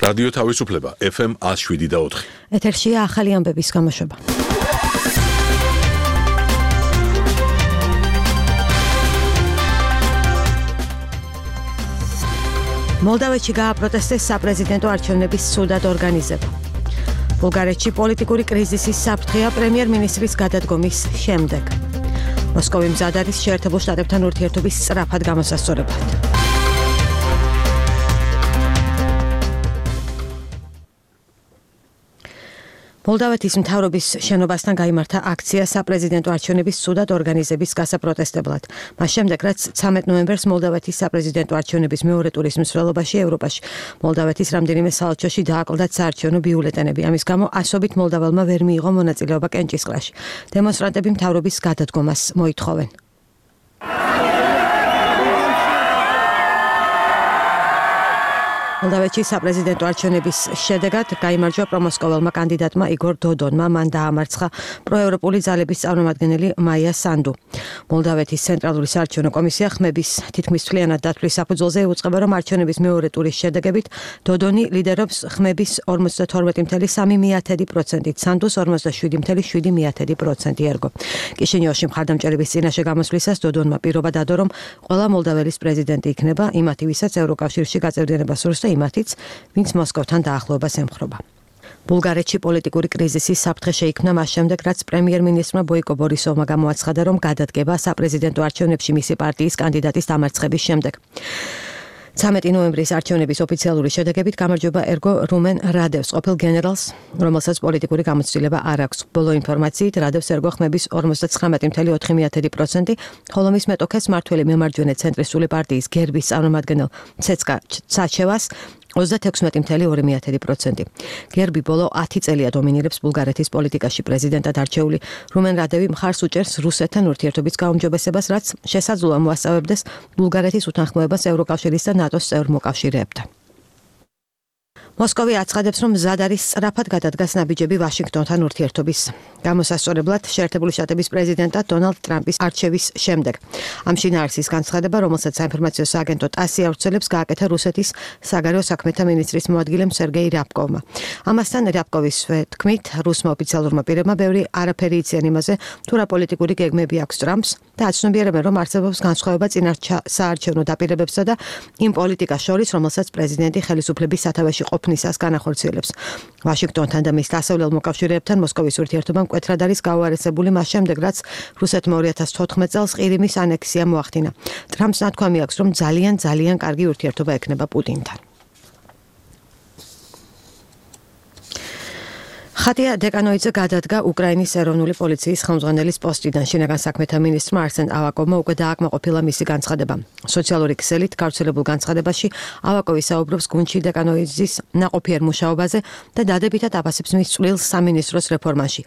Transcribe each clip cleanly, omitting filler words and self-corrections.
რადიო თავისუფლება FM 107.4. ეთერშია ახალი ამბების გამოშვება. მოლდავეთში გააპროტესტეს საპრეზიდენტო არჩევნების ცუდად ორგანიზება. ბულგარეთში პოლიტიკური კრიზისის საფრთხეა პრემიერ-მინისტრის გადადგომის შემდეგ. მოსკოვი მზად არის შეერთებულ შტატებთან ურთიერთობის სწრაფად გამოსასწორებლად. მოლდავეთის მთავრობის შენობასთან გაიმართა აქცია საპრეზიდენტო არჩევნების ცუდად ორგანიზების გასაპროტესტებლად. მას შემდეგ, რაც 13 ნოემბერს მოლდავეთის საპრეზიდენტო არჩევნების მეორე ტურის მსვლელობაში ევროპაში მოლდავეთის რამდენიმე საელჩოში დააკლდათ საარჩევნო ბიულეტენები. ამის გამო ასობით მოლდაველმა ვერ მიიღო მონაწილეობა კენჭისყრაში. დემონსტრანტები მთავრობის გადადგომას მოითხოვენ. მოლდავეთში საპრეზიდენტო არჩევნების შედეგად გაიმარჯვა პრომოსკოველმა კანდიდატმა იგორ დოდონმა, მან დაამარცხა პროევროპული ძალების წარმომადგენელი მაია სანდუ. მოლდავეთის ცენტრალური საარჩევნო კომისია ხმების თითქმის მთლიანად დათვლის საფუძველზე იუწყება, რომ არჩევნების მეორე ტურის შედეგებით დოდონი ლიდერობს ხმების 42.3%-ით, სანდუს 47.7% ერგო. კიშინიოვში მხარდამჭერების წინაშე გამოსვლისას დოდონმა პირობა დადო, რომ ყველა მოლდაველის პრეზიდენტი იქნება, იმათი, ვისაც ევროკავშირში გაწევრიანება სურს, იმათიც, ვინც მოსკოვთან დაახლოებას ემხრობა. ბულგარეთში პოლიტიკური კრიზისის საფრთხე შეიქმნა მას შემდეგ, რაც პრემიერ-მინისტრმა ბოიკო ბორისოვმა გამოაცხადა, რომ გადადგება საპრეზიდენტო არჩევნებში მისი პარტიის კანდიდატის დამარცხების შემდეგ. 13 ნოემბრის არჩევნების ოფიციალური შედეგებით გამარჯვება ერგო რუმენ რადევს, ყოფილ გენერალს, რომელსაც პოლიტიკური გამოცდილება არ აქვს. ბოლო ინფორმაციით, რადევს ერგო ხმების 59.4%, ხოლო მის მეტოქეს მართველი მემარჯვენე ცენტრისტული პარტიის გერბის წარმომადგენელ ცეცკა საჩევას 36.2%. გერბი ბოლო 10 წელია დომინირებს ბულგარეთის პოლიტიკაში. პრეზიდენტად არჩეული რუმენ რადევი მხარს უჭერს რუსეთთან ურთიერთობის გაუმჯობესებას, რაც შესაძლოა მოასწავებდეს ბულგარეთის უთანხმოებას ევროკავშირის და ნატოს წევრ მოკავშირეებთან. მოსკოვი აცხადებს, რომ მზად არის სწრაფად გადადგას ნაბიჯები ვაშინგტონთან ურთიერთობის გამოსასწორებლად შეერთებული შტატების პრეზიდენტად დონალდ ტრამპის არჩევის შემდეგ. ამ შინაარსის განცხადება, რომელსაც საინფორმაციო სააგენტო ტასი ავრცელებს, გააკეთა რუსეთის საგარეო საქმეთა მინისტრის მოადგილემ სერგეი რიაბკოვმა. ამასთან რიაბკოვის თქმით, რუსმა ოფიციალურმა პირებმა ბევრი არაფერი იციან იმაზე, თუ რა პოლიტიკური გეგმები აქვს ტრამპს და აცნობიერებენ, რომ არსებობს განსხვავება წინასაარჩევნო დაპირებებსა და იმ პოლიტიკას შორის, რომელსაც პრეზიდენტი ხელისუფლების სათავეში ყოფნისას განახორციელებს. ვაშინგტონთან და მის დასავლელ მოკავშირეებთან მოსკოვის ურთიერთობა მკვეთრად არის გაუარესებული მას შემდეგ, რაც რუსეთმა 2014 წელს ყირიმის ანექსია მოახდინა. ტრამპს ნათქვამი აქვს, რომ ძალიან კარგი ურთიერთობა ექნება პუტინთან. ხატია დეკანოიძე გადადგა უკრაინის ეროვნული პოლიციის ხელმძღვანელის პოსტიდან. შინაგან საქმეთა მინისტრმა არსენ ავაკოვმა უკვე დააკმაყოფილა მისი განცხადება. სოციალური ქსელით გავრცელებულ განცხადებაში ავაკოვი საუბრობს გუნდში დეკანოიძის ნაყოფიერ მუშაობაზე და დადებითად აფასებს მის წვლილს სამინისტროს რეფორმაში.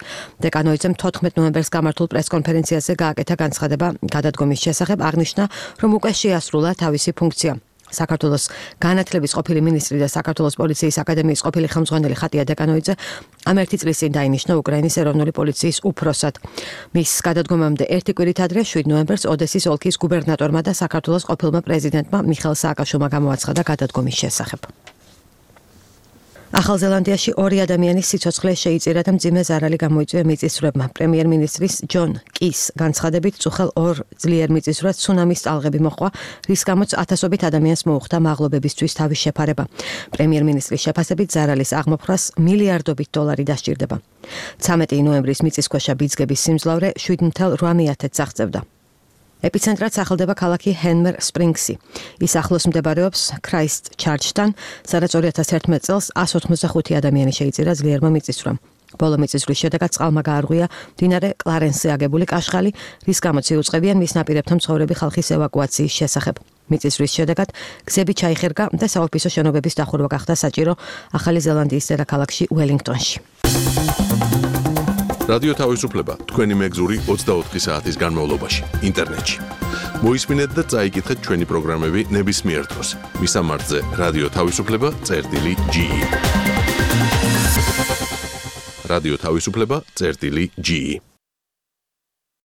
დეკანოიძემ 14 ნოემბერს გამართულ პრესკონფერენციაზე გააკეთა განცხადება გადადგომის შესახებ, აღნიშნა, რომ უკვე შეასრულა თავისი ფუნქცია. საქართველოს განათლების ყოფილი მინისტრი და საქართველოს პოლიციის აკადემიის ყოფილი ხელმძღვანელი ხატია დეკანოიძე ამ ერთი წლის წინ დაინიშნა უკრაინის ეროვნული პოლიციის უფროსად. მის გადადგომამდე ერთი კვირით ადრე 7 ნოემბერს ოდესის ოლქის გუბერნატორმა და საქართველოს ყოფილმა პრეზიდენტმა მიხეილ სააკაშვილმა გამოაცხადა გადადგომის შესახებ. ახალ ზელანდიაში 2 ადამიანის სიცოცხლე შეიწირა და მძიმე ზარალი გამოიწვია მიწისძვრებმა. პრემიერ-მინისტრის ჯონ კის განცხადებით, წუხელ 2 ძლიერ მიწისძვრას ცუნამის ტალღები მოჰყვა, რის გამოც ათასობით ადამიანს მოუხდა მაღლობებისთვის თავის შეფარება. პრემიერ-მინისტრის შეფასებით, ზარალის აღმოფხვრას მილიარდობით დოლარი დასჭირდება. 13 ნოემბრის მიწისქვეშა ბიძგების სიმძლავრე 7.8 აღწევდა. ეპიცენტრად სახელდება ქალაქი ჰენმერ სპრინგსი. ის ახლოს მდებარეობს ქრაისტჩარჩთან, სადაც 2011 წელს 185 ადამიანი შეიწირა ძლიერმა მიწისძვრამ. ბოლო მიწისძვრის შედეგად წყალმა გაარღვია მდინარე კლარენსზე აგებული კაშხალი, რის გამოც იუწყებიან მის ნაპირებთან მცხოვრები ხალხის ევაკუაციის შესახებ. მიწისძვრის შედეგად გზები ჩაიხერგა და საოფისო შენობების დახურვა გახდა საჭირო ახალი ზელანდიის დედაქალაქში უელინგტონში. რადიო თავისუფლება თქვენი მეგზური 24 საათის განმავლობაში ინტერნეტში. მოისმინეთ და წაიკითხეთ ჩვენი პროგრამები ნებისმიერ დროს. მისამართზე რადიო თავისუფლება.ge. რადიო თავისუფლება.ge